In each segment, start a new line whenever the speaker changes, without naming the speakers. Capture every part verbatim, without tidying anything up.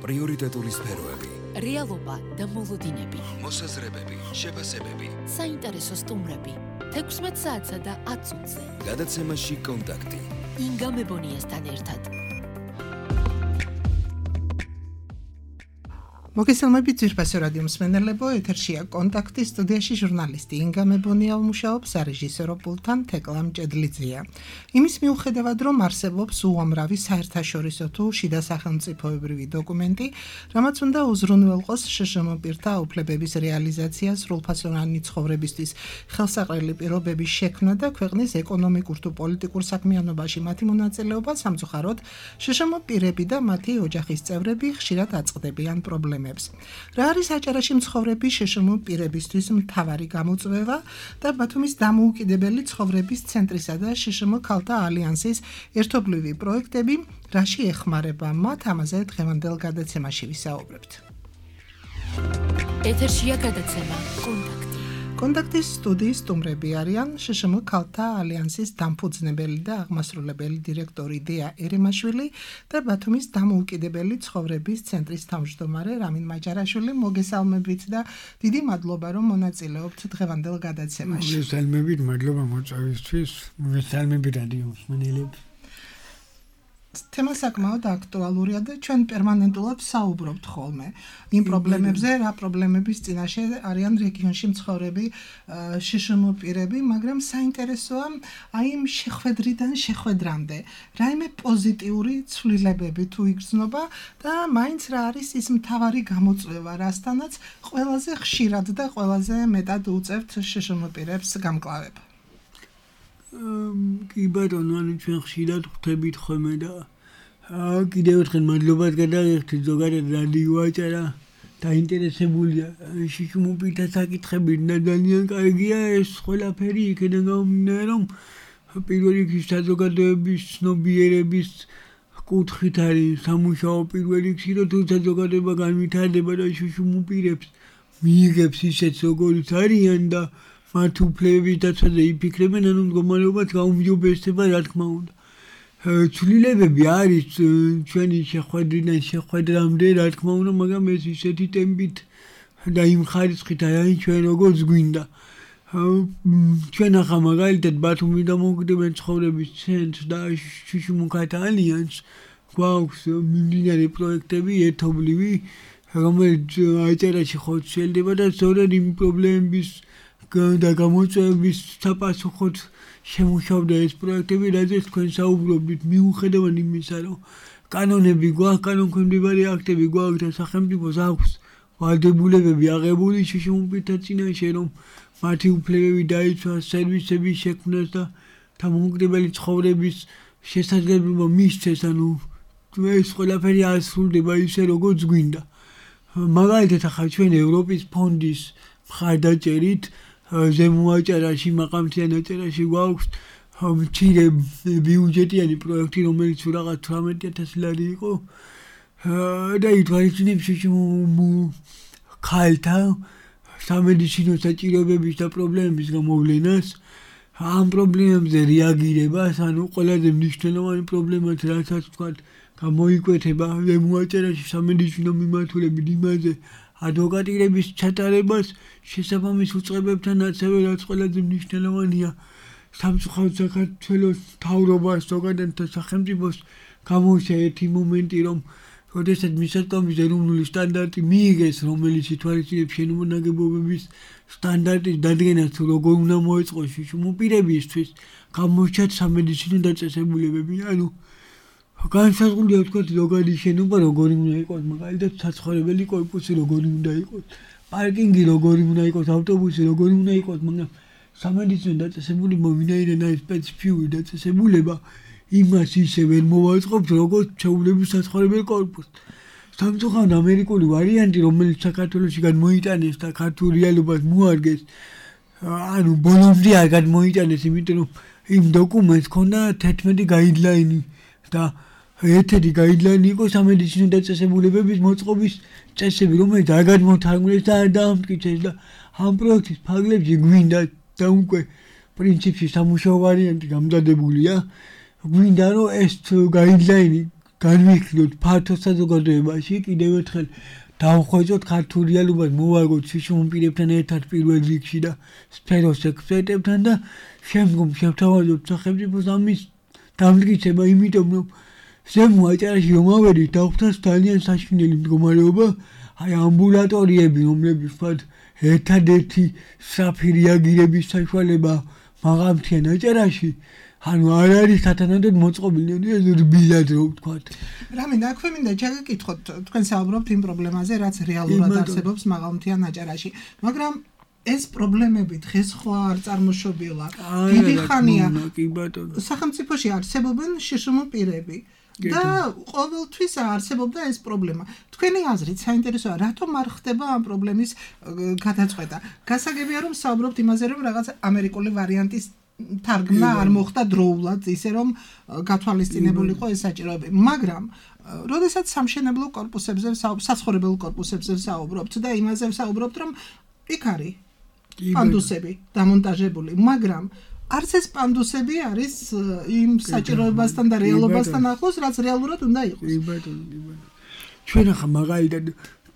პრიორიტეტული სფეროები,
რეალობა და მოლოდინები,
მოსაზრებები, შეფასებები,
საინტერესო სტუმრები, თექვსმეტ საათსა და ათ წუთზე.
გადაცემაში კონტაქტი.
ინგა მებონიასთან ერთად.
მოგესალმებით ძვირფასო რადიო მსმენელებო, ეთერშია კონტაქტი, სტუდიაში ჟურნალისტი ინგა მებონია მუშაობს, რეჟისორო პულტთან თეკლა მჭედლიძეა. იმის მიუხედავად, რომ არსებობს უამრავი საერთაშორისო თუ შიდა სახელმწიფოებრივი დოკუმენტი, რამაც უნდა უზრუნველყოს შშმ პირთა უფლებების რეალიზაცია, სრულფასოვანი ცხოვრებისთვის ხელსაყრელი პირობების შექმნა და ქვეყნის ეკონომიკურ თუ პოლიტიკურ საქმიანობაში მათი მონაწილეობა, სამწუხაროდ შშმ პირები და მათი ოჯახის წევრები ხშირად აწყდებიან პრობლემებს. რა არის აჭარაში მცხოვრები შშმ პირებისთვის მთავარი გამოწვევა და ბათუმის დამოუკიდებელი ცხოვრების ცენტრისა და შშმ ქალთა ალიანსის ერთობლივი პროექტები რაში ეხმარება მათ, ამაზე დღევანდელ გადაცემაში ვისაუბრებთ.
ეთერშია გადაცემა კონტაქტი.
კონტაქტის სტუდიის სტუმრები არიან შშმ ქალთა ალიანსის დამფუძნებელი და აღმასრულებელი დირექტორი დია ერემაშვილი და ბათუმის დამოუკიდებელი ცხოვრების ცენტრის თავმჯდომარე რამინ მაჯარაშვილი. მოგესალმებით და დიდი მადლობა, რომ მონაწილეობთ დღევანდელ გადაცემაში.
მოგესალმებით, მადლობა მოწვევისთვის. მოგესალმებით რადიო მსმენელებს. თემა
საკმაოდ აქტუალურია და ჩვენ პერმანენტულად საუბრობთ ხოლმე იმ პრობლემებზე, რა პრობლემების წინაშე არიან რეგიონში მცხოვრები შშმ პირები, მაგრამ საინტერესოა აი იმ შეხვედრიდან შეხვედრამდე რაიმე პოზიტიური ცვლილებები თუ იგრძნობა და მაინც რა არის ის მთავარი გამოწვევა, რასთანაც ყველაზე ხშირად და ყველაზე მეტად უწევთ შშმ პირებს გამკლავება.
კი ბატონო, ანუ ჩვენ ხშირად ხვდებით ხოლმე და კიდევ ერთხელ მადლობას გადაიხდით ზოგადად რადიო აჭარა დაინტერესებულია შშმ პირთა საკითხებით და ძალიან კარგია ეს ყველაფერი იქიდან გამომდინარე, რომ პირველ რიგში საზოგადოების ცნობიერების კუთხით არის სამუშაო პირველ რიგში, რომ თუ საზოგადოება განვითარდება და შშმ პირებს მიიღებს ისეთ როგორიც არიან და მათ უფლებების დაცვაზე იფიქრებენ, ანუ მდგომარეობაც გაუმჯობესდება, რა თქმა უნდა. ცვლილებები არის ჩვენი შეხვედრიდან შეხვედრამდე, რა თქმა უნდა, მაგრამ ეს ისეთი ტემპით და იმ ხარისხით არის ჩვენ როგორც გვინდა. ჩვენ ახლა მაგალითად ბათუმის დამოუკიდებელი ცხოვრების ცენტრს და შშმ ქალთა ალიანსს გვაქვს მიმდინარე პროექტები ერთობლივი, რომელიც აჭარაში ხორციელდება და სწორედ იმ პრობლემების და გამოწვევების საპასუხოდ შემუშავდა ეს პროექტები, რაზეც თქვენ საუბრობთ, მიუხედავად იმისა, რომ კანონები გვაქვს, კანონქვემდებარე აქტები გვაქვს და სახელმწიფოს აქვს ვალდებულებები აღებული შშმ პირთა წინაშე, რომ მათი უფლებები დაიცვას, სერვისების შექმნას და დამოუკიდებელი ცხოვრების შესაძლებლობა მისცეს, ანუ ეს ყველაფერი ასრულდება ისე, როგორც გვინდა. მაგალითად, ახლა ჩვენ ევროპის ფონდის მხარდაჭერით ზემო აჭარაში, მაყამთიან აჭარაში გვაქვს მცირე ბიუჯეტიანი პროექტი, რომელიც რაღაც თვრამეტი ათასი ლარი იყო და ითვალისწინებს შშმ ქალთა სამედიცინო საჭიროებების და პრობლემების გამოვლენას, ამ პრობლემებზე რეაგირებას, ანუ ყველაზე მნიშვნელოვანი პრობლემაც რასაც ვთქვათ გამოიკვეთება ზემო აჭარაში სამედიცინო მიმართულებით იმაზე ადვოკატირების ჩატარებას შესაბამის უწყებებთან, ასევე რაც ყველაზე მნიშვნელოვანია სამწუხაროდ საქართველოს მთავრობას ზოგადად და სახელმწიფოს გამოუშვა ერთი მომენტი, რომ როდესაც მისაწვდომის ეროვნული სტანდარტი მიიღეს, რომელიც ითვალისწინებს შენობა ნაგებობების სტანდარტის დადგენას, თუ როგორ უნდა მოეწყოს შშმ პირებისთვის, გამოჩნდათ სამედიცინო დაწესებულებები, ანუ განსაზღვრულია ვთქვათ ზოგადი შენობა როგორი უნდა იყოს, მაგალითად საცხოვრებელი კორპუსი როგორი უნდა იყოს, პარკინგი როგორი უნდა იყოს, ავტობუსი როგორი უნდა იყოს, მაგრამ სამედიცინო დაწესებულება ვინაიდან არის სპეციფიური დაწესებულება, იმას ისე ვერ მოვაწყობთ, როგორც ჩვეულებრივ საცხოვრებელ კორპუსს. სამწუხაროდ ამერიკული ვარიანტი, რომელიც საქართველოში გადმოიტანეს და ქართულ რეალობას მოარგეს, ანუ ბოლომდე არ გადმოიტანეს, იმიტომ რომ იმ დოკუმენტს ჰქონდა თერთმეტი გაიდლაინი და ერთ-ერთი გაიდლაინი იყო სამედიცინო დაწესებულებების მოწყობის წესები, რომელიც არ გადმოთარგმნეს და არ დაამტკიცეს და ამ პროექტის ფარგლებში გვინდა და უკვე პრინციპში სამუშაო ვარიანტი გამზადებულია, გვინდა რომ ეს გაიდლაინი განვიხილოთ ფართო საზოგადოებაში, კიდევ ერთხელ დავხვეწოთ ქართულ რეალობას, მოვარგოთ შიშუმპირებთან ერთად პირველ რიგში და სფეროს ექსპერტებთან და შემდგომ შევთავაზოთ სახელმწიფოს ამის დამტკიცება, იმიტომ რომ ზემო აჭარაში რომ ავედით, დაგვხვდათ ძალიან საშინელი მდგომარეობა, აი ამბულატორიები, რომლებიც ვთქვათ, ერთადერთი სწრაფი რეაგირების საშუალება მაღალმთიან აჭარაში, ანუ არ არის სათანადოდ მოწყობილი, ეს რბილად რო ვთქვათ.
რამინ, აქვე მინდა ჩაგეკითხოთ, თქვენ საუბრობთ იმ პრობლემაზე, რაც რეალურად არსებობს მაღალმთიან აჭარაში, მაგრამ ეს პრობლემები დღეს ხო არ წარმოშობილა. დიდი ხანია სახელმწიფოში არსებობენ შიშუმ პირები და ყოველთვის არსებობდა ეს პრობლემა. თქვენი აზრით საინტერესოა, რატომ არ ხდება ამ პრობლემის გადაწყვეტა? გასაგებია რომ საუბრობთ იმაზე, რომ რაღაც ამერიკული ვარიანტის თარგმნა არ მოხდა დროულად, ისე რომ გათვალისწინებული იყო ეს საჭიროები. მაგრამ როდესაც სამშენებლო კორპუსებზე, საცხოვრებელ კორპუსებზე საუბრობთ და იმაზე საუბრობთ, რომ იქ არის პანდუსები დამონტაჟებული, მაგრამ არც ეს პანდუსები არის იმ საჭიროებასთან და რეალობასთან ახლოს, რაც რეალურად უნდა იყოს.
ჩვენ ახლა მაგალითად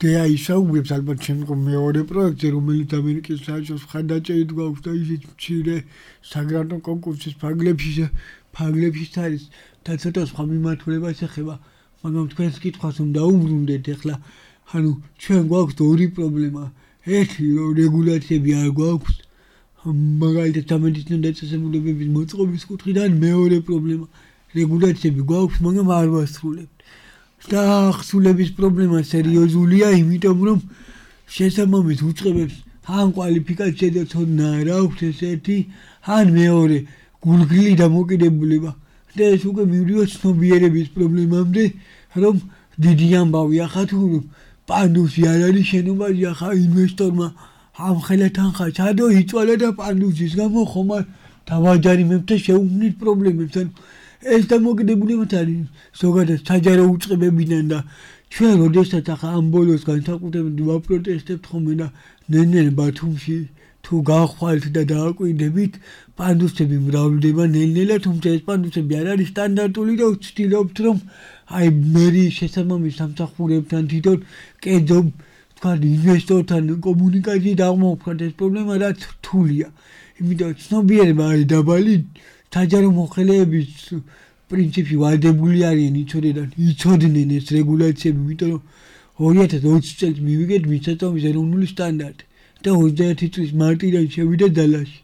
დეაი საუბრობს ალბათ შემდგომ მეორე პროექტზე, რომელიც ამერიკის საელჩოს მხარდაჭერით გვაქვს და ისიც მცირე საგრანტო კონკურსის ფარგლებში ფარგლებში არის და ცოტა სხვა მიმართულებას ეხება, მაგრამ თქვენს კითხვას რომ დაუბრუნდეთ ახლა, ანუ ჩვენ გვაქვს ორი პრობლემა. ერთი რეგულაციები არ გვაქვს, მაგალითად სამედიცინო დაწესებულებების მოწყობის კუთხიდან, მეორე პრობლემა რეგულაციები გვაქვს, მაგრამ არ ვასრულებთ. და ახსულების პრობლემა სერიოზულია, იმიტომ რომ შესაბამის უწყებებს ან კვალიფიკაცია და ცოდნა არ აქვს ესეთი, ან მეორე გულგრილი დამოკიდებულება. და ეს უკვე მივიდივართ ცნობიერების პრობლემამდე, რომ დიდი ამბავი ახლა თუ პანდუსი არ არის შენობაში, ახლა ინვესტორმა ამხელა თანხა ჩადო იწვალა და პანდუსის გამო ხომ არ დავაჯარიმებთ და შეუქმნით პრობლემებს. ეს დამოკიდებულება არის ზოგადად საჯარო უწყებებიდან და ჩვენ როდესაც ახლა ამ ბოლოს განსაკუთრებით ვაპროტესტებთ ხოლმე და ნელ-ნელა ბათუმში თუ გავხვალთ და დააკვირდებით, პანდუსები მრავლდება ნელ-ნელა, თუმცა ეს პანდუსები არ არის სტანდარტული და ვცდილობთ რომ აი მერიის შესაბამის სამსახურებთან თვითონ კერძო თქვათ ინვესტორთან კომუნიკაცია დავმოვხდათ ეს პრობლემა რაც რთულია. იმიტომ ცნობიერება არის დაბალი, საჯარო მოხელეების პრინციპი ვალდებული არიან იცოდნენ, იცოდნენ ეს რეგულაციები, იმიტომ რომ ორი ათას ოცი წელს მივიგეთ მიწათმოქმედის ეროვნული სტანდარტი და ოცდაერთი წლის მარტიდან შევიდა ძალაში.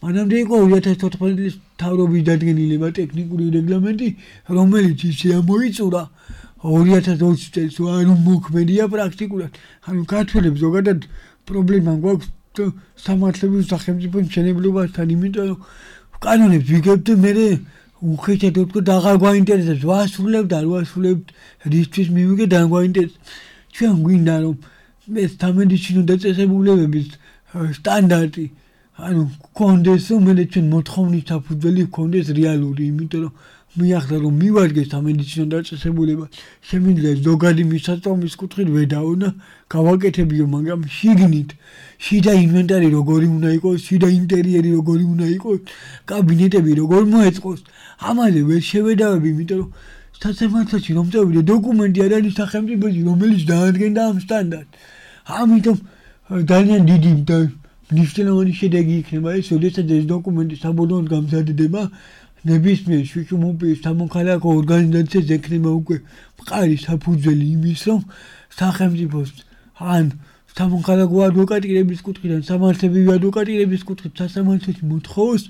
მანამდე იყო ორი ათას თოთხმეტი წლის მთავრობის დადგენილება ტექნიკური რეგლამენტი, რომელიც ისე ამოიწურა ორი ათას ოცი წელს, ანუ მოქმედია პრაქტიკულად. ანუ ქართველებს ზოგადად პრობლემა გვაქვს სამართლებრივ სახელმწიფო მშენებლობასთან, იმიტომ რომ კანონებს ვიგებთ და მე უხეშად ვთქვათ, აღარ გვაინტერესებს, ვასრულებთ, არ ვასრულებთ, რისთვის მივიგეთ, არ გვაინტერესებს. ჩვენ გვინდა რომ ეს სამედიცინო დაწესებულებების სტანდარტი, ანუ გქონდეს, რომელიც ჩვენ მოთხოვნის საფუძველი გქონდეს რეალური, იმიტომ რომ მე ახლა რომ მივადგეს სამედიცინო დაწესებულება, შემიძლია ზოგადი მისაწვდომის კუთხით ვედაო და გავაკეთებიო, მაგრამ შიგნით შიდა ინვენტარი როგორი უნდა იყოს, შიდა ინტერიერი როგორი უნდა იყოს, კაბინეტები როგორ მოეწყოს, ამაზე ვერ შევედავები, იმიტომ რომ სასამართლოში რომ წავიდე, დოკუმენტი არ არის სახელმწიფოში, რომელიც დაადგენდა ამ სტანდარტს. ამიტომ ძალიან დიდი და მნიშვნელოვანი შედეგი იქნება ეს, როდესაც ეს დოკუმენტი საბოლოოდ გამზადდება, ნებისმიერ შიშუმპირის სამოქალაქო ორგანიზაციას ექნება უკვე მყარი საფუძველი იმის, რომ სახელმწიფოს ან სამოქალაქო ადვოკატირების კუთხიდან, სამართლებრივი ადვოკატირების კუთხით სასამართლოში მოთხოვოს,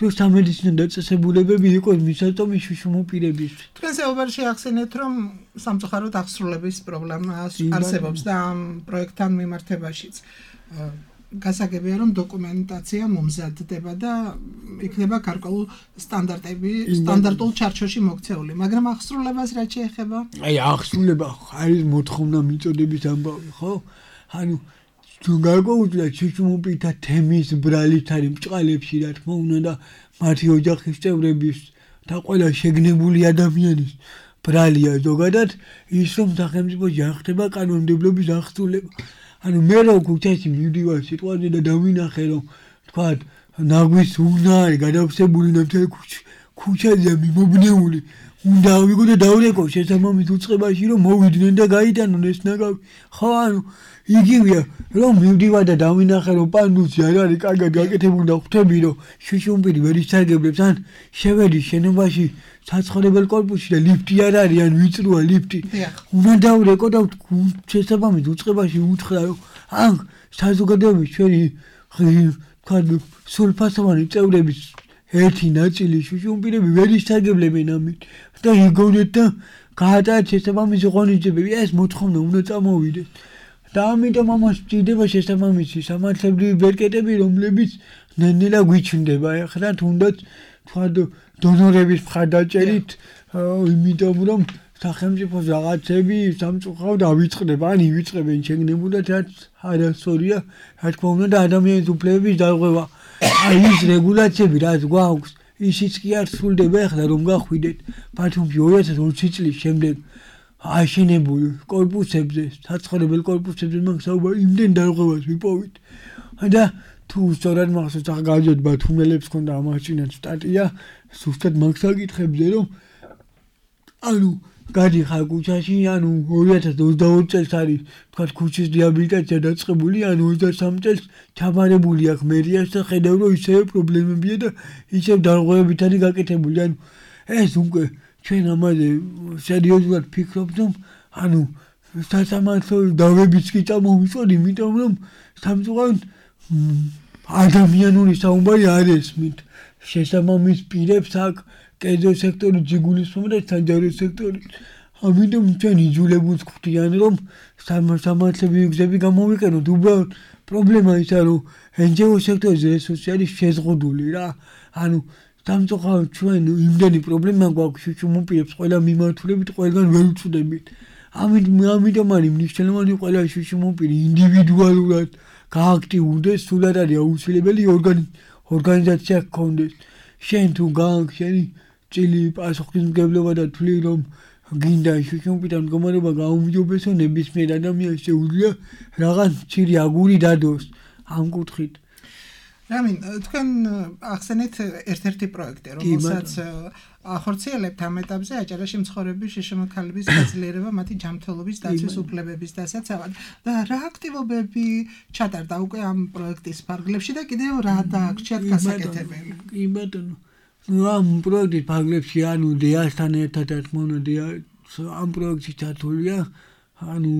რომ სამედიცინო დაწესებულებები იყოს მისაწვდომი შიშუმპირებისთვის.
თქვენ საუბარში ახსენეთ, რომ სამწუხაროდ აღსრულების პრობლემა არსებობს და ამ პროექტთან მიმართებაშიც. გასაგებია რომ დოკუმენტაცია მომზადდება და იქნება გარკვეულ სტანდარტები, სტანდარტულ ჩარჩოში მოქცეული, მაგრამ აღსრულებას რაც შეეხება?
აი აღსრულება არის მოთხოვნა მიწოდების ამბავი, ხო? ანუ თუ გარკვეულად შიშუმპირთა თემის ბრალით არის მჭყალებში, რა თქმა უნდა და მათი ოჯახის წევრების და ყველა შეგნებული ადამიანის ბრალია ზოგადად ის რომ სახელმწიფოში არ ხდება კანონმდებლობის აღსრულება. ანუ მე რო ქუჩაში მივდივარ სიტყვაზე და დავინახე რომ თქვათ ნაგვის უნა არის გადავსებული და მთელი ქუჩა ქუჩაზეა მიმობნეული უნდა ავიღო და დავრეკო შესაბამის უწყებაში რომ მოვიდნენ და გაიტანონ ეს ნაგავი. ხო ანუ იგივეა რომ მივდივარ და დავინახე რომ პანდუსი არ არის კარგად გაკეთებული და ხვდები რომ შუშუმპირი ვერ ისარგებლებს ან შევედი შენობაში საცხოვრებელ კორპუსში და ლიფტი არ არის ან ვიწროა ლიფტი. უნდა დავრეკო და შესაბამის უწყებაში უთხრა რომ ან საზოგადოების ჩვენი თქვა სულფასოვანი წევრების ერთი ნაწილი შუშუმპირები ვერ ისარგებლებენ ამით და იგონეთ და გაატარეთ შესაბამისი ღონისძიებები ეს მოთხოვნა უნდა წამოვიდეს და ამიტომ ამას ჭირდება შესაბამისი სამართლებრივი ბერკეტები რომლებიც ნელ-ნელა გვიჩნდება ახლა თუნდაც თქვა დონორების მხარდაჭერით იმიტომ რომ სახელმწიფოს რაღაცები სამწუხაროდ ავიწყდება ან ივიწყებენ შეგნებულად რაც არასწორია რა თქმა უნდა და ადამიანის უფლებების დარღვევა აი ის რეგულაციები რაც გვაქვს ისიც კი არ სრულდება ახლა რომ გახვიდეთ ბათუმში ორი ათას ოცი წლის შემდეგ აშენებულ კორპუსებზე საცხოვრებელ კორპუსებზე მაგ საუბარი იმდენ დარღვევას ვიპოვით და თუ სწორად მახსოვს ახლა გაძვეთ ბათუმელებს ქონდა ამაშინაც სტატია ზუსტად მაგ საკითხებზე რომ ანუ გადიხარ ქუჩაში ანუ ორი ათას ოცდაორი წელს არის თქვა ქუჩის რეაბილიტაცია დაწყებული ანუ ოცდასამი წელს ჩაბარებული აქვს მერიას და ხედავ რომ ისევ პრობლემებია და ისევ დარღვევებით არის გაკეთებული ანუ ეს უკვე ჩვენ ამაზე სერიოზულად ფიქრობთ რომ ანუ სასამართლო დავებიც კი წამოვიწოდ იმიტომ რომ სამწუხაროდ ადამიანური საუბარი არ ესმით შესაბამის პირებს აქ კერძო სექტორი ჯიგულისმომა და საჯარო სექტორი ამიტომ ჩვენ იძულებულს გვხდიან რომ სამართლებრივი გზები გამოვიყენოთ უბრალოდ პრობლემა ისაა რომ ენჯიო სექტორზე რესურსი არის შეზღუდული რა ანუ სამწუხაროდ ჩვენ იმდენი პრობლემა გვაქვს შუშუმპირებს ყველა მიმართულებით ყველგან ვერ უწვდებით ამიტომ არის მნიშვნელოვანი ყველა შუშუმპირი ინდივიდუალურად გააქტიურდეს სულად არის აუცილებელი ორგანიზაცია გქონდეს შენ თუ გააქვს შენი წილი პასუხისმგებლობა და თვლი რომ გინდა შუშუმპირთან მდგომარეობა გაუმჯობესო ნებისმიერ ადამიანს შეუძლია რაღაც მცირე აგური დადოს ამ კუთხით
რამინ თქვენ ახსენეთ ერთ-ერთი პროექტი რომელსაც ახორციელებთ ამ ეტაპზე აჭარაში მცხოვრების შიშმოქალების გაძლიერება მათი ჯანმრთელობის დაცვის უფლებების დასაცავად და რა აქტივობები ჩატარდა უკვე ამ პროექტის ფარგლებში და კიდევ რა დააგრჩიათ გასაკეთებელი
კი ბატონო ამ პროექტის ფარგლებში ანუ დეასთან ერთად თმონდია ამ პროექტში ჩართულია ანუ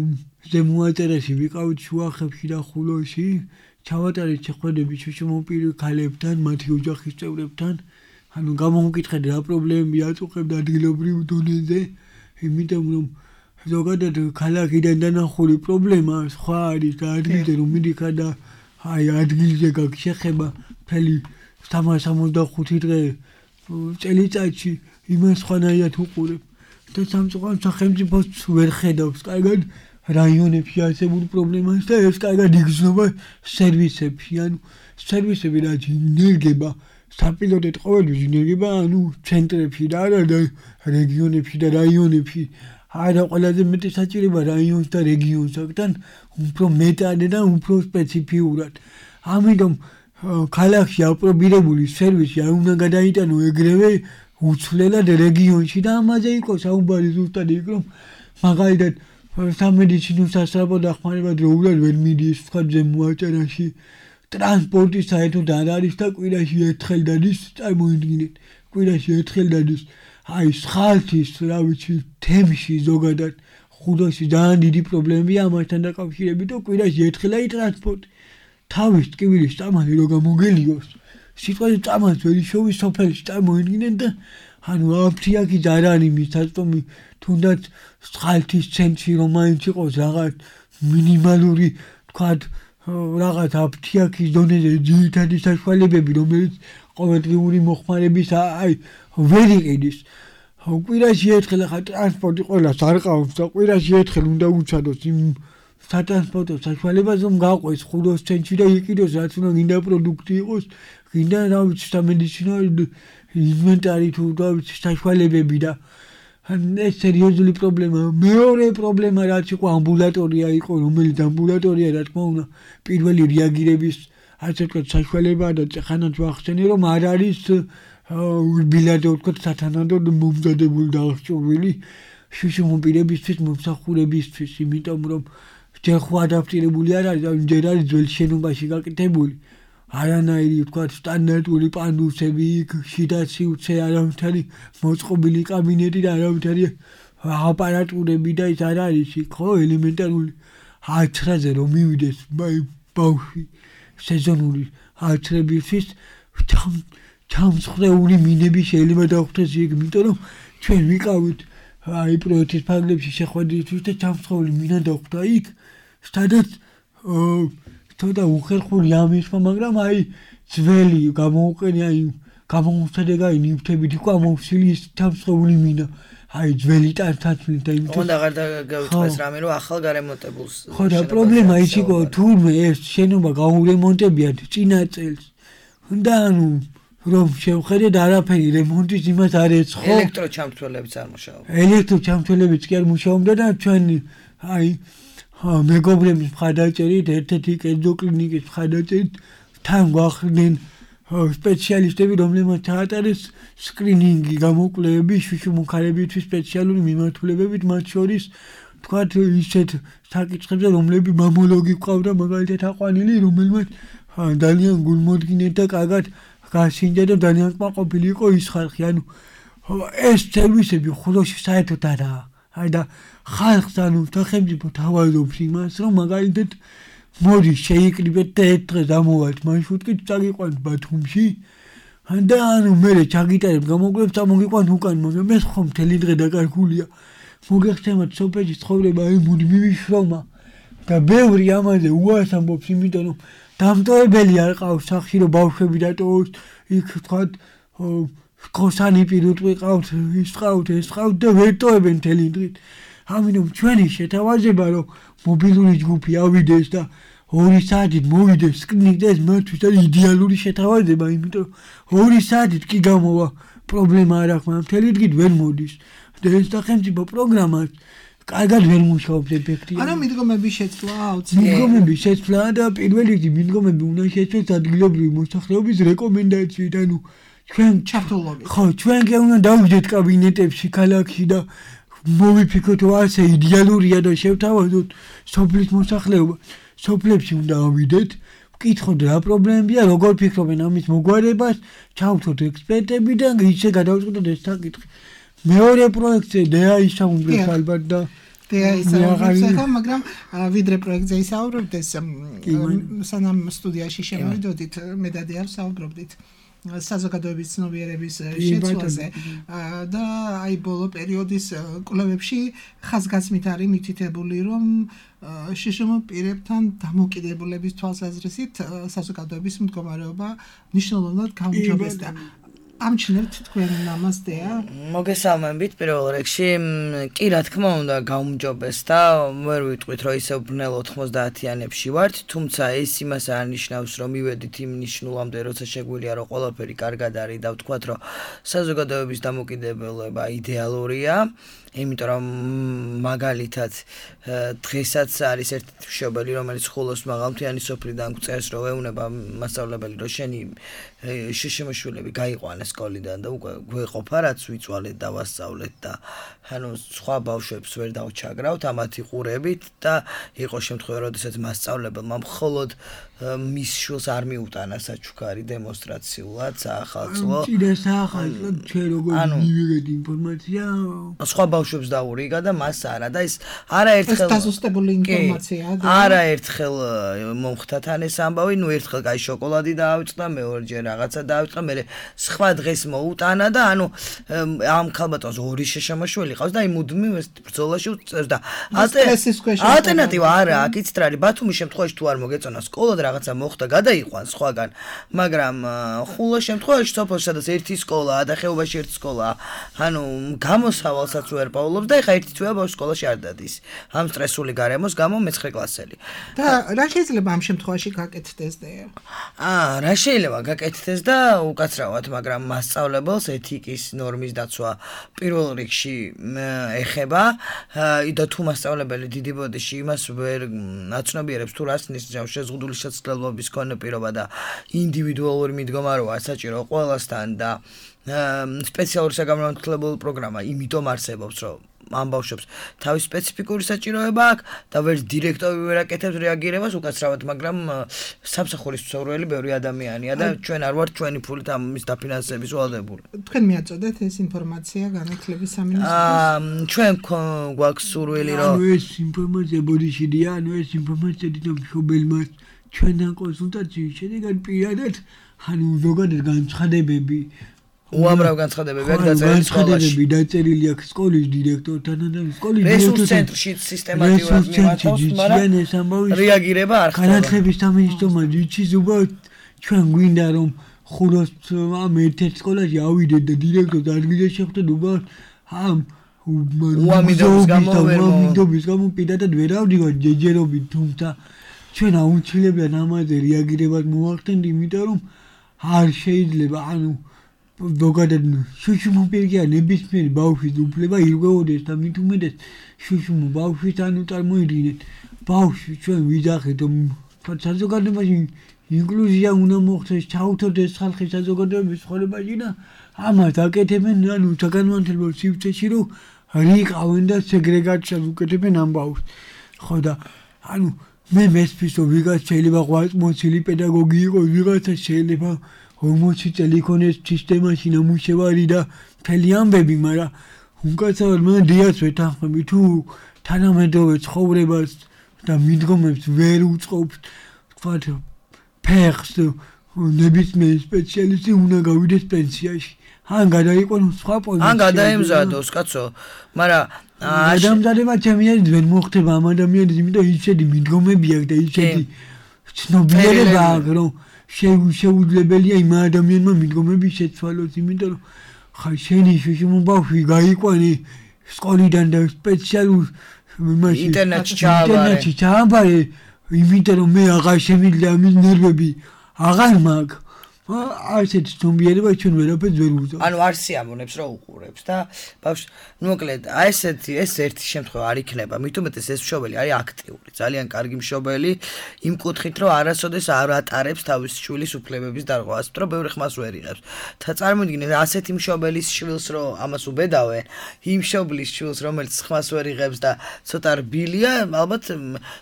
ზემოაჭარაში ვიყავით შუახევში და ხულოში ჩავატარეთ შეხვედრები შუშუმპირი ქალებთან მათი ოჯახის წევრებთან ანუ გამოვკითხეთ რა პრობლემები აწუხებდა ადგილობრივ დონეზე იმიტომ რომ ზოგადად ქალაქიდან დანახული პრობლემა სხვა არის და ადგილზე რომ მიდიხარ და აი ადგილზე გაქვს შეხება მთელი სამას ოცდახუთი დღე წელიწადში იმას სხვანაირად უყურებ და სამწუხაროდ სახელმწიფოს ვერ ხედავს კარგად რაიონებში არსებულ პრობლემას და ეს კარგად იგრძნობა სერვისებში ანუ სერვისები რაც ინერგება საპილოტეთ ყოველთვის ინერგება ანუ ცენტრებში და არა და რეგიონებში და რაიონებში არა ყველაზე მეტი საჭიროება რაიონს და რეგიონს აქთან უფრო მეტად და უფრო სპეციფიურად ამიტომ ქალაქში აპრობირებული სერვისი არ უნდა გადაიტანო ეგრევე უცვლელად რეგიონში და ამაზე იყო საუბარი ზუსტად იქ რომ მაგალითად სამედიცინო სასწავლო დახმარება დროულად ვერ მიდის თქვა ზემოაჭარაში ტრანსპორტი საერთოდ არ არის და კვირაში ერთხელ დადის წარმოიდგინეთ კვირაში ერთხელ დადის აი სხალთის რა ვიცი თემში ზოგადად ხუდოში ძალიან დიდი პრობლემებია ამასთან დაკავშირებით და კვირაში ერთხელ აი ტრანსპორტი თავის ტკივილის წამალი რო გამოგელიოს სიტყვაზე წამალს ვერ შოვის სოფელში წარმოიდგინეთ და ანუ აფთიაკი არ არის მისაწვდომი თუნდაც სხალთის ცენტრი რომ მაინც იყოს რაღაც მინიმალური თქვათ რაღაც აფთიაკის დონეზე ძირითადი საშუალებები რომელიც ყოველდღიური მოხმარების აი ვერ იყიდის კვირაში ერთხელ ახლა ტრანსპორტი ყველას არ ყავს და კვირაში ერთხელ უნდა უჩადოს იმ სატრანსპორტო საშუალებას რომ გაყვეს ხუდოს ცენტრში და იყიდოს რაც უნდა გინდა პროდუქტი იყოს გინდა რა ვიცი სამედიცინო ინვენტარი თუ რა ვიცი საშუალებები და ეს სერიოზული პრობლემა მეორე პრობლემა რაც იყო ამბულატორია იყო რომელიც ამბულატორია რა თქმა უნდა პირველი რეაგირების ასე ვთქვათ საშუალებაა და ხანაც ვახსენე რომ არ არის ურბილადო ვთქვათ სათანადოდ მომზადებული და აღჭურვილი შუშუმ პირებისთვის მომსახურებისთვის, იმიტომ რომ ჯერ ხო ადაპტირებული არ არის, ჯერ არის ძველ შენობაში გაკეთებული. არანაირი ვთქვათ სტანდარტული პანდუსები, შიდა სივრცე, არავითარი მოწყობილი კაბინეტი და არავითარი აპარატურები და ის არ არის იქ, ხო, ელემენტარული აცრაზე რომ მივიდეს ბავშვი სეზონური აცრებისთვის ჩამსხვრეული მინები შეიძლება დახვდეს იქ, იმიტომ რომ ჩვენ ვიყავით აი პროექტის ფარგლებში შეხვედრისთვის და ჩამსხვრეული მინა დახვდა იქ, სადაც ცოტა უხერხული ამისმა, მაგრამ აი ძველი გამოუყენი აი გამოუცადეგაი ნივთებით იყო ამოვსილი ის ჩამსხვრეული მინა. აი ძველი ტანთაცმით და იმიტომ
უნდა აღარ გავიტყვეს რამე რომ ახალ გარემონტებულს
ხო და პრობლემა ის იყო თურმე ეს შენობა გაურემონტებიათ წინა წელს და ანუ რომ შევხედეთ არაფერი რემონტის იმას არ ეცხო
ელექტროჩამთვრელებიც არ მუშაობდა
ელექტროჩამთვრელებიც კი არ მუშაობდა და ჩვენი აი მეგობრების მხარდაჭერით ერთ-ერთი კერძო კლინიკის მხარდაჭერით თან გვახდნენ სპეციალისტები, რომლებმაც ჩაატარეს სკრინინგი, გამოკვლევები შუშუმუქარებისთვის სპეციალური მიმართულებებით, მათ შორის თქვათ ისეთ საკითხებზე, რომლებიც მამოლოგი ყავდა მაგალითად აყვანილი, რომელმაც ძალიან გულმოდგინედ და კარგად გასინჯა და ძალიან კმაყოფილი იყო ის ხალხი. ანუ ეს სერვისები ხულოში საერთოდ არაა. აი და ხალხს ანუ სახელმწიფო თავაზობს იმას, რომ მაგალითად მოდი შეიკრიბეთ და ერთ დღეს ამოვალთ მარშრუტით წაგიყვანთ ბათუმში და ანუ მე ჩაგიტარებ გამოგვლებს წამოგიყვანთ უკან, მაგრამ ეს ხომ მთელი დღე დაკარგულია. მოგეხსენებათ სოფელში ცხოვრება აი მოდი მივიშრომა და ბევრი ამაზე უარს ამბობს, იმიტომ რომ დამტოვებელი არ ყავს სახში რომ ბავშვები დატოვოს იქ თქვათ კოსანი პირუტყვი ყავთ, ის ყავთ, ეს ყავთ და ვერ ტოვებენ მთელი დღით. ამიტომ ჩვენი შეთავაზება რომ მობილური ჯგუფი ავიდეს და ორი საათით მოვიდეს სკრინინგზე ეს მათთვის არის იდეალური შეთავაზება, იმიტომ რომ ორი საათით კი გამოვა პრობლემა არ აქვს, მაგრამ მთელი დღით ვერ მოდის და ეს სახელმწიფო პროგრამა კარგად ვერ მუშაობს ეფექტიურად.
ანუ მიდგომების შეცვლა აუცილებელი.
მიდგომების შეცვლა და პირველ რიგში მიდგომები უნდა შეცვლას ადგილობრივი მოსახლეობის რეკომენდაციით, ანუ ჩვენ
ჩართულობით.
ხო, ჩვენ კი უნდა დავიდეთ კაბინეტებში ქალაქში და მოვიფიქროთ რომ ასე იდეალურია და შევთავაზოთ სოფლის მოსახლეობა. სოფლებში უნდა ავიდეთ, ვკითხოთ რა პრობლემებია, როგორ ფიქრობენ ამის მოგვარებას, ჩავთოთ ექსპერტები და ისე გადავწყვეტოთ ეს საკითხი. მეორე პროექტზე დეა ისაუბრებს ალბათ და
დეა ისაუბრებს ახლა, მაგრამ ვიდრე პროექტზე ისაუბრებთ ეს სანამ სტუდიაში შემოვიდოდით, მე და დეა ვსაუბრობდით საზოგადოების ცნობიერების შეცვლაზე და აი ბოლო პერიოდის კვლევებში ხაზგასმით არის მითითებული, რომ შშმ პირებთან დამოკიდებულების თვალსაზრისით საზოგადოების მდგომარეობა მნიშვნელოვნად გაუმჯობესდა. ამჩნევთ თქვენ ამას დეა?
მოგესალმებით პირველ რიგში, კი რა თქმა უნდა გაუმჯობესდა, ვერ ვიტყვით რომ ისე ბრნელ ოთხმოცდაათიანებში ვართ, თუმცა ეს იმას არ ნიშნავს რომ მივედით იმ ნიშნულამდე, როცა შეგვიძლია რომ ყველაფერი კარგად არის და ვთქვათ რომ საზოგადოების დამოკიდებულება იდეალურია. იმიტომ რომ მაგალითად დღესაც არის ერთი მშობელი, რომელიც ხულოს მაღალმთიანი სოფლიდან გვწერს, რომ ეუნება მასწავლებელი, რომ შენი შშმ-შვილები გაიყვანეს სკოლიდან და უკვე გვეყოფა რაც ვიწვალეთ და ვასწავლეთ და ანუ სხვა ბავშვებს ვერ დავჩაგრავთ ამათ იყურებით და იყო შემთხვევა, როდესაც მასწავლებელმა მხოლოდ მის შვილს არ მიუტანა საჩუქარი დემონსტრაციულად საახალწლო.
წინა საახალწლო ჩვენ როგორ მივიღეთ ინფორმაცია?
სხვა ბავშვებს დაურიგა და მას არა და ის არაერთხელ
ეს დაზუსტებული ინფორმაციაა და
არაერთხელ მომხდათ ან ეს ამბავი, ნუ ერთხელ კაი შოკოლადი დაავიწყდა, მეორეჯერ რაღაცა დაავიწყდა, მე სხვა დღეს მოუტანა და ანუ ამ ქალბატონს ორი შშმ-შვილი ყავს და აი მუდმივ ეს ბრძოლაში უწევს და ალტერნატივა არა აქ იცით რა არის, ბათუმის შემთხვევაში თუ არ მოგეწონა სკოლა და რაღაცა მოხდა გადაიყვან სხვაგან, მაგრამ ხულოს შემთხვევაში სოფელში სადაც ერთი სკოლაა და ხეობაში ერთი სკოლაა, ანუ გამოსავალსაც ვერ პაულობს და ეხა ერთი თვეა ბავშვი სკოლაში არ დადის. ამ სტრესული გარემოს გამო მეცხრე კლასელი.
და რა შეიძლება ამ შემთხვევაში გაკეთდეს დეა?
აა, რა შეიძლება გაკეთდეს და უკაცრავად, მაგრამ მასწავლებელს ეთიკის ნორმის დაცვა პირველ რიგში ეხება და თუ მასწავლებელი დიდი ბოდიში იმას ვერ აცნობიერებს თუ რას ნიშნავს შეზღუდული შესაძლებლობის ქონა პირობა და ინდივიდუალური მიდგომა როა საჭირო ყველასთან და სპეციალური საგამართლებული პროგრამა იმიტომ არსებობს, რომ ამ ბავშვებს თავის სპეციფიკური საჭიროება აქვს და ვერ დირექტორი ვერ აკეთებს რეაგირებას უკაცრავად, მაგრამ სამსახურის მცხოვრებელი ბევრი ადამიანია და ჩვენ არ ვართ ჩვენი ფულით ამის დაფინანსების ვალდებული.
თქვენ მიაწოდეთ ეს ინფორმაცია განათლების სამინისტროს?
აა ჩვენ გვაქვს სურვილი რომ
ანუ ეს ინფორმაცია ბოდიშიდია, ანუ ეს ინფორმაცია დიდ მშობელმა ჩვენთან კონსულტაციის შედეგად პირადად ანუ ზოგადად განცხადებები
უამრავ განცხადებები აქვს დაწერილი სკოლაში.
დაწერილი აქვს სკოლის დირექტორთან და სკოლის
რესურს ცენტრში სისტემატურად მიმართავს, მაგრამ რეაგირება არ ხდება.
განათლების სამინისტრომა იცის უბრალოდ ჩვენ გვინდა რომ ხუროს ამ ერთ-ერთ სკოლაში ავიდეთ და დირექტორს ადგილზე შევხვდეთ უბრალოდ ამ
უამიდობის გამო ვერ
უამიდობის გამო პირადად ვერ ავდივართ ჯეჯერობით, თუმცა ჩვენ აუცილებლად ამაზე რეაგირებას მოვახდენთ, იმიტომ რომ არ შეიძლება ანუ ზოგადად შუშუმოპირგია ნებისმიერი ბავშვის უფლება ირღვეოდეს და მით უმეტეს შუშუმო ბავშვის ანუ წარმოიდგინეთ ბავშვი ჩვენ ვიძახეთ რომ საზოგადოებაში ინკლუზია უნდა მოხდეს, ჩაუთოთ ეს ხალხი საზოგადოების ცხოვრებაში და ამას აკეთებენ ანუ საგანმანათლებლო სივრცეში რომ რიყავენ და სეგრეგაციას უკეთებენ ამ ბავშვს. ხო და ანუ მე მესმის რომ ვიღაც შეიძლება ღვაწმოცილი პედაგოგი იყოს, ვიღაცა შეიძლება ორმოცი წელი იქონეს სისტემაში ნამუშევარი და მთელი ამბები, მაგრამ უკაცრავად მე დიას ვეთანხმები თუ თანამედროვე ცხოვრებას და მიდგომებს ვერ უწყობს თქვათ ფეხს ნებისმიერი სპეციალისტი უნდა გავიდეს პენსიაში. ან გადაიყვანოს სხვა პოზიციაზე.
ან გადაემზადოს, კაცო, მაგრამ
ადამიანმა ჩემი ვერ მოხდება ამ ადამიანის, იმიტომ ისეთი მიდგომები აქვს და ისეთი ცნობიერება აქვს, რომ შეუძლებელია იმ ადამიანმა მიდგომები შეცვალოს, იმიტომ რომ ხა შენი შუშუმო ბავშვი გაიყვანი სკოლიდან და სპეციალურ იმაში
ინტერნეტში ჩააბარე.
ჩააბარე, იმიტომ რომ მე აღარ შემიძლია ამის ნერვები აღარ მაქვს. ასეთი ცნობიერება ჩვენ ვერაფერს ვერ უზავთ.
ანუ არ სიამოვნებს რომ უყურებს და ბავშვი, ნუ მოკლედ, აი ესეთი ეს ერთი შემთხვევა არ იქნება. მით უმეტეს ეს მშობელი არის აქტიური, ძალიან კარგი მშობელი, იმ კუთხით რომ არასოდეს არ ატარებს თავის შვილის უფლებების დარღვევას, რომ ბევრი ხმას ვერ იღებს. და წარმოიდგინეთ, ასეთი მშობელის შვილს რომ ამას უბედავენ, იმ მშობლის შვილს, რომელიც ხმას ვერ იღებს და ცოტა რბილია, ალბათ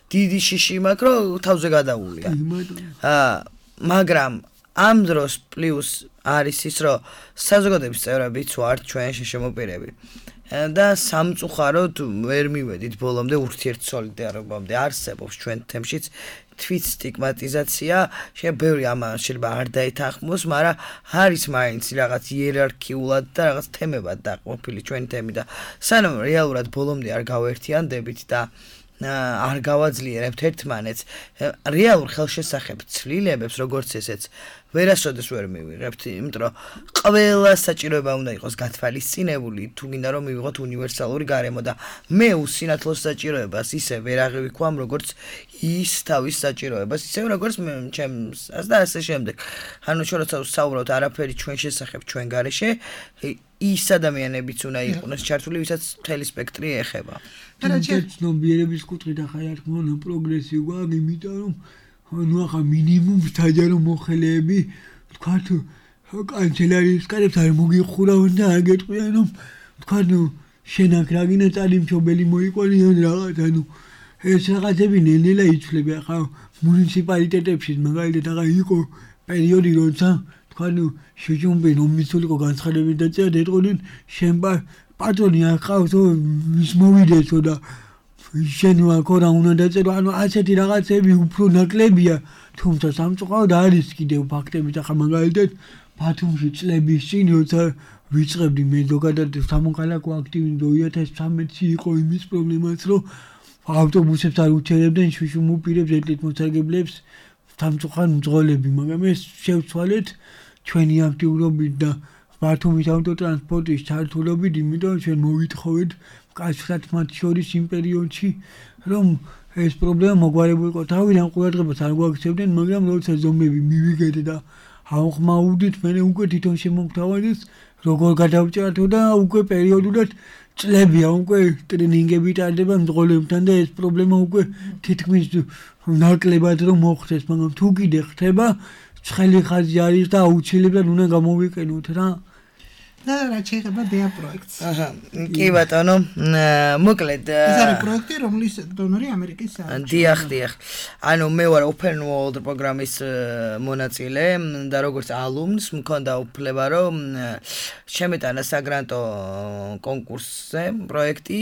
დიდი შიში მაქვს, რომ თავზე გადაულია. აა, მაგრამ ამ დროს პლუს არის ის, რომ საზოგადოების წევრებიც ვართ ჩვენ შეშემოპირები და სამწუხაროდ ვერ მივედით ბოლომდე ურთიერთსოლიდარობამდე. არსებობს ჩვენ თემშიც თვით სტიგმატიზაცია, შეიძლება ბევრი ამან შეიძლება არ დაეთანხმოს, მაგრამ არის მაინც რაღაც იერარქიულად და რაღაც თემებად დაყრდნილი ჩვენი თემი და სანამ რეალურად ბოლომდე არ გავერთიანდებით და არ გავაძლიერებთ ერთმანეთს, რეალურ ხელშესახებ ცვლილებებს, როგორც ესეც, ვერასოდეს ვერ მივიღებთ, იმიტომ რომ ყველა საჭიროება უნდა იყოს გათვალისწინებული, თუ გინდა რომ მივიღოთ უნივერსალური გარემო და მე უსინათლოს საჭიროებას ისე ვერ აღივიქვამ, როგორც ის თავის საჭიროებას, ისე როგორც ჩემს და ასე შემდეგ. ანუ ჩვენ როცა ვსაუბრობთ არაფერი ჩვენ შესახებ, ჩვენ გარეშე, ის ადამიანებიც უნდა იყვნენ ჩართული, ვისაც მთელი სპექტრი ეხება.
ცნობიერების კუთხით ახლა რა თქმა უნდა პროგრესი გვაქვს, იმიტომ რომ ну ახლა მინიმუმ საჯარო მოხელეები თქვათ კანცელარიის კარებს არ მოგიხურავენ და არ გეტყვიან რომ თქვათ შენ აქ რა გინდა წალი მშობელი მოიყვანი ან რაღაც ანუ ეს რაღაცები ნელ-ნელა იცვლება. ახლა მუნიციპალიტეტებში მაგალითად ახლა იყო პერიოდი როცა თქვათ შეჯუმბი ნომისულიყო განცხადებით დაწერა და ეტყოდნენ შენ პატრონი არ ყავს ის მოვიდესო და შენ ვაკორა უნდა დაწერო, ანუ ასეთი რაღაცები უფრო ნაკლებია, თუმცა სამწუხაროდ არის კიდევ ფაქტები და ხა მაგალითად ბათუმში წლების წინ როცა ვიწყებდი მე ზოგადად სამოქალაქო აქტივიზმი две тысячи тринадцатში იყო იმის პრობლემაც, რომ ავტობუსებს არ უჩერებდნენ შუშუმ უპირებს ეთლით მოსარგებლებს სამწუხაროდ მძღოლები, მაგრამ ეს შევცვალეთ ჩვენი აქტიურობით და ბათუმის ავტოტრანსპორტის ჩართულობით, იმიტომ რომ ჩვენ მოვითხოვეთ კაცრად მათ შორის იმ პერიოდში, რომ ეს პრობლემა მოგვარებულიყო. თავიდან ყურადღებას არ გვაქცევდნენ, მაგრამ როცა ზომები მივიგეთ და ავხმაურდით, მე უკვე თვითონ შემოგთავაზეს, როგორ გადავჭრათო და უკვე პერიოდულად წლებია, უკვე ტრენინგები ტარდება მძღოლებთან და ეს პრობლემა უკვე თითქმის ნაკლებად რომ მოხდეს, მაგრამ თუ კიდე ხდება, ცხელი ხაზი არის და აუცილებლად უნდა გამოვიყენოთ რა.
და რა შეიძლება დია პროექტს.
აჰა, კი ბატონო, მოკლედ
ეს არის პროექტი, რომლის დონორი ამერიკის საელჩო.
დიახ, დიახ. ანუ მე ვარ Open World პროგრამის მონაწილე და როგორც alumns მქონდა უფლება რომ შემეტანა საგრანტო კონკურსზე პროექტი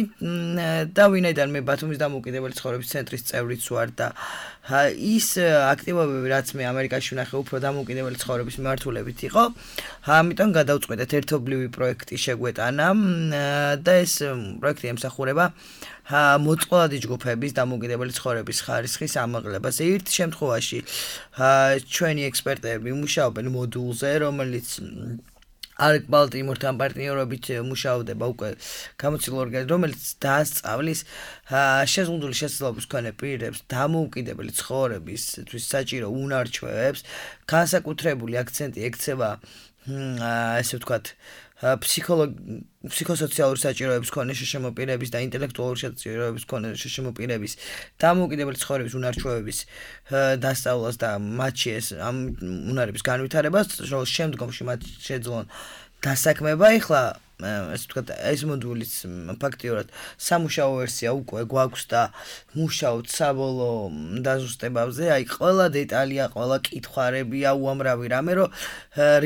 და ვინაიდან მე ბათუმის დამოუკიდებელი ცხოვრების ცენტრის წევრიც ვარ და ის აქტივობები რაც მე ამერიკაში ვნახე უფრო დამოუკიდებელი ცხოვრების მიმართულებით იყო, ამიტომ გადავწყვეტეთ ერთობლივი პროექტი შეგვეტანა და ეს პროექტი ემსახურება მოწყვლადი ჯგუფების დამოუკიდებელი ცხოვრების ხარისხის ამაღლებას. ერთ შემთხვევაში ჩვენი ექსპერტები მუშაობენ მოდულზე, რომელიც Arc Baltimore-თან პარტნიორობით მუშაობდება უკვე გამოცდილ ორგანიზმში, რომელიც დაასწავლის შეზღუდული შესაძლებლობის მქონე პირებს დამოუკიდებელი ცხოვრებისთვის საჭირო უნარჩვევებს, განსაკუთრებული აქცენტი ექცევა ესე ვთქვათ ფსიქოსოციალური საჭიროების მქონე შეშემოპირების და ინტელექტუალური საჭიროების მქონე შეშემოპირების დამოუკიდებელი ცხოვრების უნარჩვევების დასწავლას და მათში ეს ამ უნარების განვითარებას, რომ შემდგომში მათ შეძლონ დასაქმება. ეხლა ესე ვთქვათ ეს მოდულის ფაქტიურად სამუშაო ვერსია უკვე გვაქვს და მუშაობთ საბოლოო დაზუსტებებზე. აი ყველა დეტალია, ყველა კითხვარებია უამრავი რამე, რომ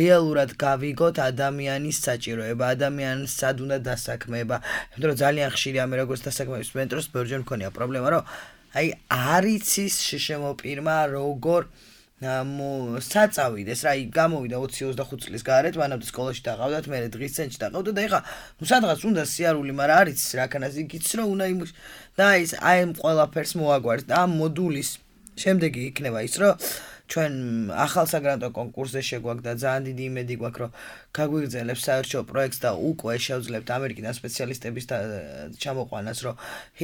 რეალურად გავიგოთ ადამიანის საჭიროება, ადამიანს სად უნდა დასაქმება. იმიტომ რომ ძალიან ხშირი ამე როგორც დასაქმების მენტორს ბევრჯერ მქონია პრობლემა, რომ აი არ იცის შეშემოპირმა როგორ საწავიდეს რა, გამოვიდა ოცი ოცდახუთი წლის გარეთ, მანამდე სკოლაში დაყავდათ, მე დღის ცენტრში დაყავდა და ეხა ნუ სადღაც უნდა სიარული, მაგრამ არ იცის რაკანას იგიც რომ უნდა იმუშ და ის აი ამ ყველაფერს მოაგვარს და ამ მოდულის შემდეგი იქნება ის რომ ჩვენ ახალ საგრანტო კონკურსზე შეგვაქვს და ძალიან დიდი იმედი გვაქვს რომ გაგვიგრძელებს საერთო პროექტს და უკვე შევძლებთ ამერიკიდან სპეციალისტების ჩამოყვანას, რომ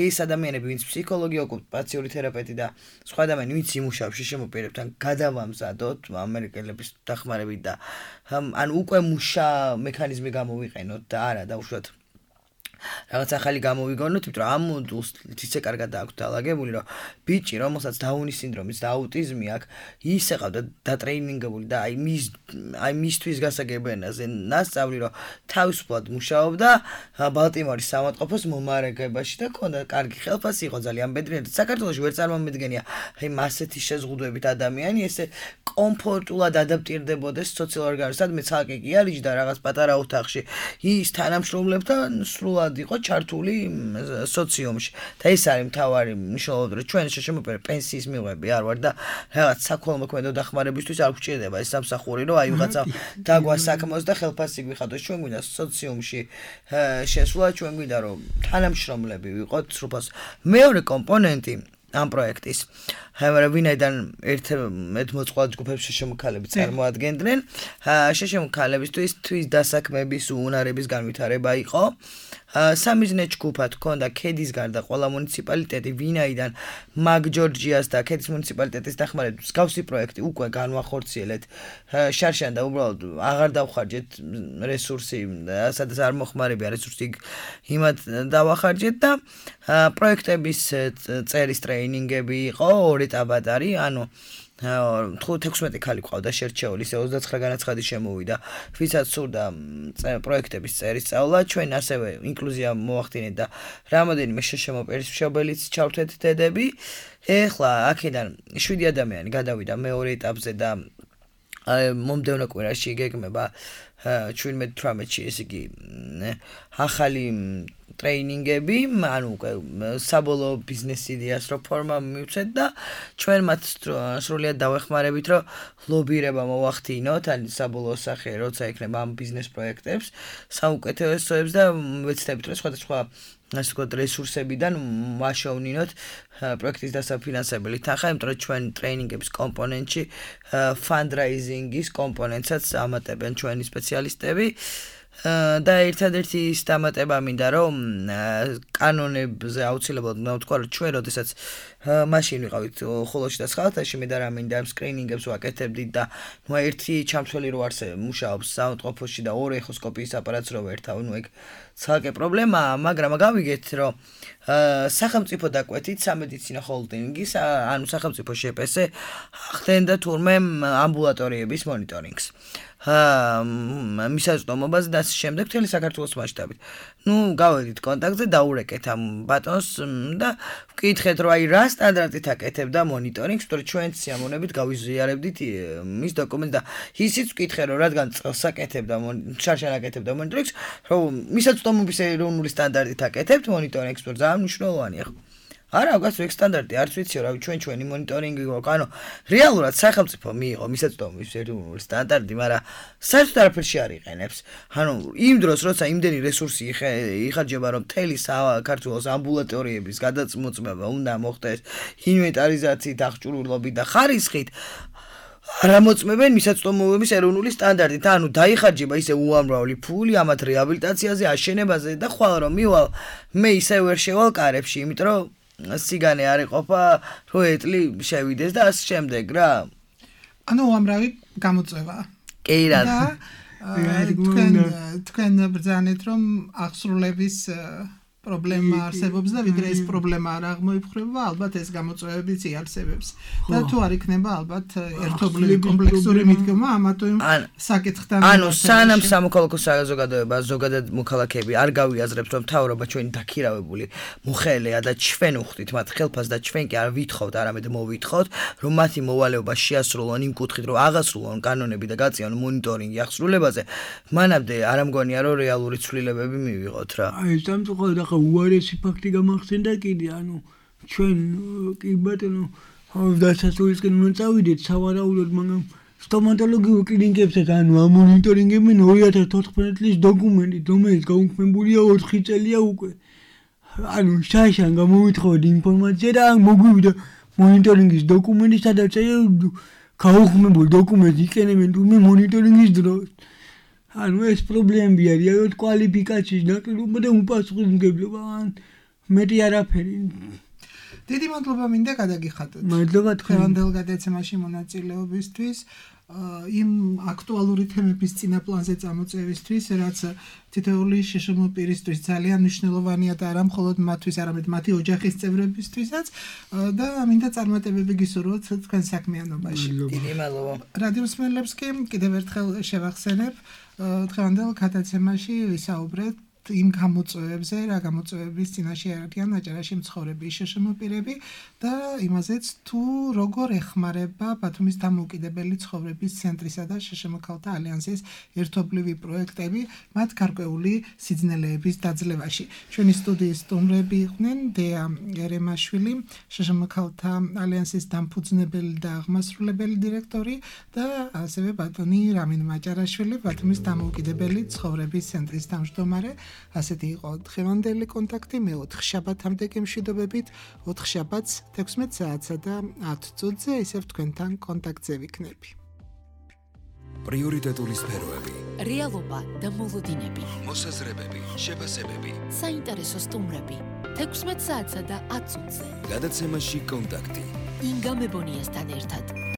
ეს ადამიანები, ვინც ფსიქოლოგი, ოკუპაციური თერაპევტი და სხვა ადამიანები, ვინც იმუშავებს შემოპირებთან, გადავამზადოთ ამერიკელების დახმარებით და ან უკვე მუშა მექანიზმი გამოვიყენოთ და არა დაუშვათ რაღაც ახალი გამოვიგონოთ, იმიტომ რომ ამ მოდულს ისე კარგად აქვს დალაგებული, რომ ბიჭი, რომელსაც დაუნის სინდრომის და აუტიზმი აქვს, ისე ყავდა დატრეინინგებული და აი მის აი მისთვის გასაგებ ენაზე ნასწავლი, რომ თავისუფლად მუშაობდა ბალტიმორის სამავთყოფოს მომარაგებაში და ქონდა კარგი ხელფასი, იყო ძალიან ბედნიერი. საქართველოში ვერ წარმომედგენია, აი მასეთი შეზღუდვებით ადამიანი ესე კომფორტულად ადაპტირდებოდეს სოციალურ ორგანიზმში, სადმე ცალკე კი არის და რაღაც პატარა ოთახში ის თანამშრომლებთან სრულად იყო ჩართული სოციუმში და ეს არის მთავარი მნიშვნელობა, რომ ჩვენ შეშემოპირე პენსიის მიღები არ ვარ და რაღაც საქველმოქმედო დახმარებისთვის არ გვჭირდება ეს სამსახური, რომ აი ვიღაცა დაგვასაქმოს და ხელფასი გვიხადოს. ჩვენ გვინდა სოციუმში შესვლა, ჩვენ გვინდა რომ თანამშრომლები ვიყოთ სრულფას. მეორე კომპონენტი ამ პროექტის ვინაიდან ერთ მოწყვლად ჯგუფებს შეშემოქალები წარმოადგენდნენ, შეშემოქალებისთვის თვის დასაქმების უნარების განვითარება იყო. სამიზნე ჯგუფად ჰქონდა ქედის გარდა ყველა მუნიციპალიტეტი, ვინაიდან მაგ ჯორჯიას და ქედის მუნიციპალიტეტის დახმარებით მსგავსი პროექტი უკვე განვახორციელეთ შარშან და უბრალოდ აღარ დავხარჯეთ რესურსი, სადაც არ მოხმარებია რესურსი, იმათ დავახარჯეთ და პროექტების წერის ტრეინინგები იყო ორი ეტაპად არის, ანუ თექვსმეტი ქალი ყავდა შერჩეული, ისე ოცდაცხრა განაცხადი შემოვიდა, ვისაც სურდა პროექტების წერის სწავლა. ჩვენ ასევე ინკლუზია მოვახდინეთ და რამოდენიმე შეშემოპირის მშობელიც ჩავთვეთ დედები. ეხლა აქედან შვიდი ადამიანი გადავიდა მეორე ეტაპზე და მომდევნო კვირაში გეგმება ჩვენმეტ თვრამეტში ესე იგი ახალი ტრეინინგები, ანუ უკვე საბოლოო ბიზნეს იდეას რო ფორმა მივცეთ და ჩვენ მათ სრულიად დავეხმარებით, რომ ლობირება მოვახდინოთ, ან საბოლოო სახე როცა იქნება ამ ბიზნეს პროექტებს, საუკეთესოებს და ვეცდებით, რომ სხვადასხვა ასე ვთქვათ რესურსებიდან ვაშოვნინოთ პროექტის დასაფინანსებელი თანხა, იმიტომ რომ ჩვენ ტრეინინგების კომპონენტში ფანდრაიზინგის კომპონენტსაც ამატებენ ჩვენი სპეციალისტები. და ერთადერთი ის დამატება მინდა რომ კანონებზე აუცილებლად უნდა ვთქვა რომ ჩვენ როდესაც მაშინ ვიყავით ხოლოში და სხალათაში მე და რა მინდა ამ სკრინინგებს ვაკეთებდით და ნუ ერთი ჩამცველი რო არს მუშაობს საავადმყოფოში და ორი ეხოსკოპიის აპარატს რო ვერთავ, ნუ ეგ ცალკე პრობლემაა, მაგრამ გავიგეთ, რომ სახელმწიფო დაკვეთით სამედიცინო ჰოლდინგის, ანუ სახელმწიფო შეპესე ხდენდა თურმე ამბულატორიების მონიტორინგს. მისაწვდომობას და ასე შემდეგ მთელი საქართველოს მასშტაბით. ნუ გავედით კონტაქტზე დაურეკეთ ამ ბატონს და ვკითხეთ რომ აი რა სტანდარტით აკეთებდა მონიტორინგს, თორე ჩვენ სიამოვნებით გავიზიარებდით მის დოკუმენტს და ისიც ვკითხე რომ რადგან წელს აკეთებდა შარშან აკეთებდა მონიტორინგს, რომ მისაწვდომობის ეროვნული სტანდარტით აკეთებთ მონიტორინგს, თორე ძალიან მნიშვნელოვანია. არა, გასულ ეგ სტანდარტი არც ვიციო, რავი, ჩვენ ჩვენი მონიტორინგი გვაქვს, ანუ რეალურად სახელმწიფო მიიღო მისაწვდომობის ეროვნული სტანდარტი, მაგრამ საერთოდ არაფერში არ იყენებს. ანუ იმ დროს, როცა იმდენი რესურსი იხარჯება, რომ მთელი საქართველოს ამბულატორიების გადაწმოწმება უნდა მოხდეს ინვენტარიზაციით, აღჭურვილობით და ხარისხით, არ ამოწმებენ მისაწვდომობის ეროვნული სტანდარტით, ანუ დაიხარჯება ისე უამრავი ფული ამათ რეაბილიტაციაზე, აშენებაზე და ხვალ რომ მივალ, მე ისე ვერ შევალ კარებში, იმიტომ რომ სიგანე არ იყოფა, რო ეტლი შევიდეს და ასე შემდეგ რა.
ანუ უამრავი გამოწვევა.
კი რა.
და თქვენ თქვენ ბრძანეთ რომ აღსრულების პრობლემა არსებობს და ვიდრე ეს პრობლემა არ აღმოიფხვრება, ალბათ ეს გამოწვევებიც იარსებებს. და თუ არ იქნება ალბათ ერთობლივი კომპლექსური მიდგომა ამა თუ იმ საკითხთან.
ანუ სანამ სამოქალაქო საზოგადოება, ზოგადად მოქალაქეები არ გავიაზრებთ, რომ მთავრობა ჩვენი დაქირავებული მოხელეა და ჩვენ უხდით მათ ხელფას და ჩვენ კი არ ვითხოვთ, არამედ მოვითხოვთ, რომ მათი მოვალეობა შეასრულონ იმ კუთხით, რომ აღასრულონ კანონები და გაწიონ მონიტორინგი აღსრულებაზე, მანამდე არ ამგონია, რომ რეალური ცვლილებები მივიღოთ რა.
აი სამწუხაროდ ახლა უარესი ფაქტი გამახსენდა კიდე, ანუ ჩვენ კი ბატონო დასასრულისკენ უნდა წავიდეთ სავარაუდოდ, მაგრამ სტომატოლოგიურ კლინიკებსაც ანუ ამ მონიტორინგებენ ორი ათას თოთხმეტ წლის დოკუმენტი, რომელიც გაუქმებულია ოთხი წელია უკვე. ანუ შაშან გამოვითხოვეთ ინფორმაცია და მოგვივიდა მონიტორინგის დოკუმენტი, სადაც გაუქმებულ დოკუმენტს იყენებენ თურმე მონიტორინგის დროს. ანუ ეს პრობლემები არის, რომ კვალიფიკაციის ნაკლობა და უპასუხისმგებლობა, ან მეტი არაფერი.
დიდი მადლობა მინდა გადაგიხადოთ.
მადლობა თქვენ.
დღევანდელ გადაცემაში მონაწილეობისთვის, იმ აქტუალური თემების წინაპლანზე წამოწევისთვის, რაც თითოეული შშმ პირისთვის ძალიან მნიშვნელოვანია და არა მხოლოდ მათთვის, არამედ მათი ოჯახის წევრებისთვისაც და მინდა წარმატებები გისურვოთ თქვენ საქმიანობაში.
დიდი მადლობა.
რადიო მსმენელებს კი კიდევ ერთხელ შევახსენებ, დღევანდელ გადაცემაში ვისაუბრეთ იმ გამოწვევებზე, რა გამოწვევების წინაშე არიან აჭარაში მცხოვრები შშმ პირები და იმაზეც თუ როგორ ეხმარება ბათუმის დამოუკიდებელი ცხოვრების ცენტრისა და შშმ ქალთა ალიანსის ერთობლივი პროექტები მათ გარკვეული სიძნელეების დაძლევაში. ჩვენი სტუდიის სტუმრები იყვნენ დეა ერემაშვილი, შშმ ქალთა ალიანსის დამფუძნებელი და აღმასრულებელი დირექტორი და ასევე ბატონი რამინ მაჭარაშვილი, ბათუმის დამოუკიდებელი ცხოვრების ცენტრის თავმჯდომარე. ასეთი იყო დღევანდელი კონტაქტი, მე ოთხ შაბათამდე გემშვიდობებით, ოთხ შაბათს თექვსმეტ საათსა და ათ წუთზე ისევ თქვენთან კონტაქტზე ვიქნები.
პრიორიტეტული სფეროები,
რეალობა და მოლოდინები,
მოსაზრებები, შეფასებები,
საინტერესო სტუმრები, თექვსმეტ საათსა და ათ წუთზე.
გადაცემაში კონტაქტი.
ინგა მებონიასთან ერთად.